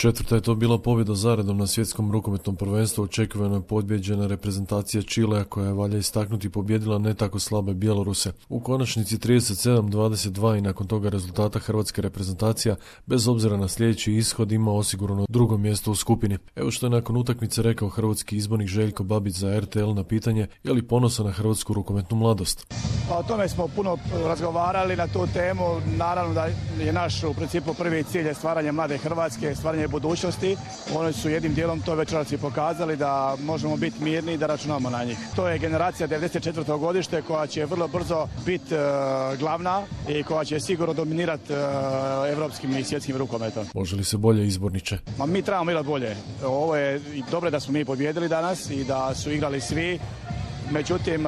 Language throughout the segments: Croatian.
Četvrta je to bila pobjeda zaredom na svjetskom rukometnom prvenstvu. Očekivano je pobjeđena reprezentacija Čilea koja je, valja istaknuti, pobjedila ne tako slabe Bjeloruse. U konačnici 37-22 i nakon toga rezultata hrvatska reprezentacija, bez obzira na sljedeći ishod, ima osigurano drugo mjesto u skupini. Evo što je nakon utakmice rekao hrvatski izbornik Željko Babić za RTL na pitanje je li ponosan na hrvatsku rukometnu mladost. O tome smo puno razgovarali na tu temu. Naravno da je naš u principu prvi cilj je stvaranje mlade Hrvatske, stvaranje budućnosti. Oni su jednim dijelom to večeras i pokazali da možemo biti mirni i da računamo na njih. To je generacija 94. godište koja će vrlo brzo biti glavna i koja će sigurno dominirati evropskim i svjetskim rukometom. Može li se bolje, izborniče? Mi trebamo igrati bolje. Ovo je dobro da smo mi pobjedili danas i da su igrali svi. Međutim,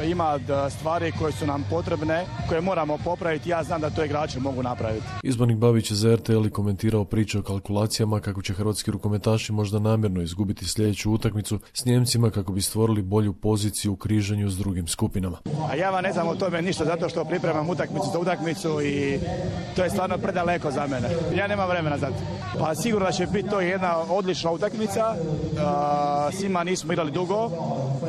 ima stvari koje su nam potrebne, koje moramo popraviti. Ja znam da to igrači mogu napraviti. Izbornik Babić je za RTL komentirao priče o kalkulacijama kako će hrvatski rukometaši možda namjerno izgubiti sljedeću utakmicu s Njemcima kako bi stvorili bolju poziciju u križanju s drugim skupinama. A ja vam ne znam o tome ništa zato što pripremam utakmicu za utakmicu i to je stvarno predaleko za mene. Ja nemam vremena za to. Pa sigurno da će biti to jedna odlična utakmica. Svima nismo igrali dugo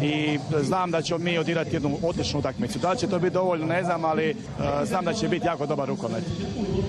i znam da ćemo mi odigrati jednu odličnu utakmicu. Da li će to biti dovoljno, ne znam, ali znam da će biti jako dobar rukomet.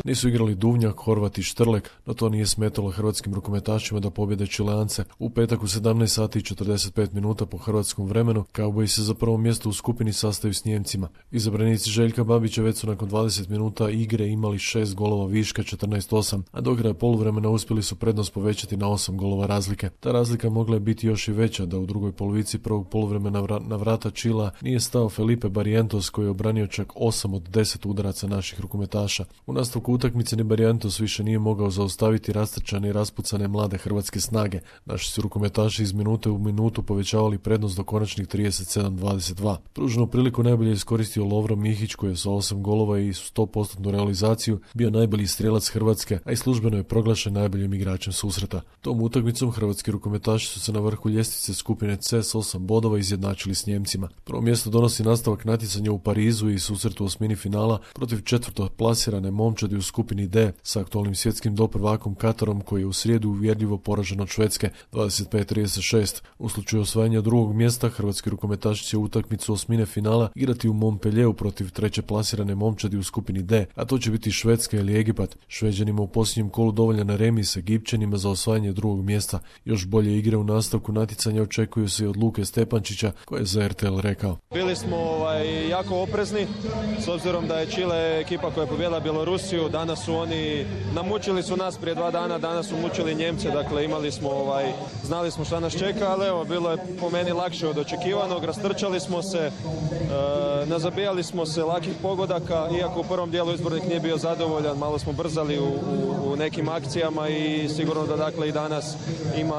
Nisu igrali Duvnjak, Horvat i Štrlek, no to nije smetalo hrvatskim rukometašima da pobjede Čileance. U petak u 17 sati i 45 minuta po hrvatskom vremenu Kauboji se za prvo mjesto u skupini sastaju s Njemcima. Izabranici Željka Babića već su nakon 20 minuta igre imali 6 golova viška, 14-8, a do kraja poluvremena uspjeli su prednost povećati na 8 golova razlike. Ta razlika mogla je biti još i veća da u drugoj polovici prvog poluvremena na vrata Čila nije stao Felipe Barrientos koji je obranio čak 8 od 10 udaraca naših rukometaša. U nastavku utakmice ni Barrientos više nije mogao zaustaviti rastrčane i raspucane mlade hrvatske snage. Naši su rukometaši iz minute u minutu povećavali prednost do konačnih 37-22. Pruženu priliku najbolje iskoristio Lovro Mihić koji je sa 8 golova i 100% realizaciju bio najbolji strijelac Hrvatske, a i službeno je proglašen najboljim igračem susreta. Tom utakmicom hrvatski rukometaši su se na vrhu ljestvice skupine C s 8 bodova izjednačili s Njemcima. Prvo mjesto donosi nastavak natjecanja u Parizu i susretu u osmini finala protiv četvrto plasirane momčadi u skupini D sa aktualnim svjetskim doprvakom Katarom koji je u srijedu uvjerljivo poražen od Švedske 25-36. U slučaju osvajanja drugog mjesta hrvatski rukometaši će utakmicu osmine finala igrati u Montpellieru protiv treće plasirane momčadi u skupini D, a to će biti Švedska ili Egipat. Šveđanima u posljednjem kolu dovoljan remi sa Egipćanima za osvajanje drugog mjesta. Još bolje igre u nastavku natjecanja očekuju se i od Luke Stepančića koji je za RTL rekao. Bili smo jako oprezni s obzirom da je Čile ekipa koja je pobjedila Bjelorusiju. Danas su oni namučili su nas prije 2 dana, danas su mučili Njemce, dakle imali smo znali smo šta nas čeka, ali evo bilo je po meni lakše od očekivanog, rastrčali smo se, nazabijali smo se lakih pogodaka, iako u prvom dijelu izbornik nije bio zadovoljan, malo smo brzali u nekim akcijama i sigurno da dakle i danas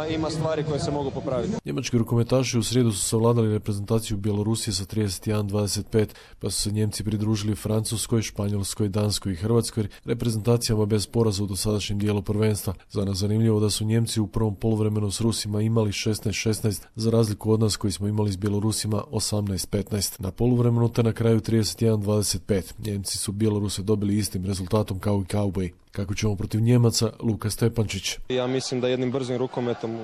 ima stvari koje se mogu popraviti. Njemački rukometaši u srijedu su savladali reprezentaciju Bjelorusije sa 31-25, pa su se Njemci pridružili Francuskoj, Španjolskoj, Danskoj i Hrvatskoj reprezentacijama bez poraza u dosadašnjem dijelu prvenstva. Za nas zanimljivo da su Njemci u prvom poluvremenu s Rusima imali 16-16, za razliku od nas koji smo imali s Bjelorusima 18-15. Na poluvremenu te na kraju 31-25. Njemci su Bjeloruse dobili istim rezultatom kao i Kauboji. Kako ćemo protiv Njemaca, Luka Stepančić. Ja mislim da jednim brzim rukometom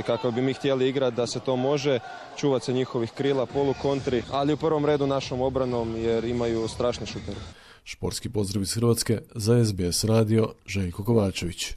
kako bi mi htjeli igrati da se to može, čuvati se njihovih krila, polukontri, ali u prvom redu našom obranom jer imaju strašne šutere. Športski pozdrav iz Hrvatske za SBS radio, Željko Kovačević.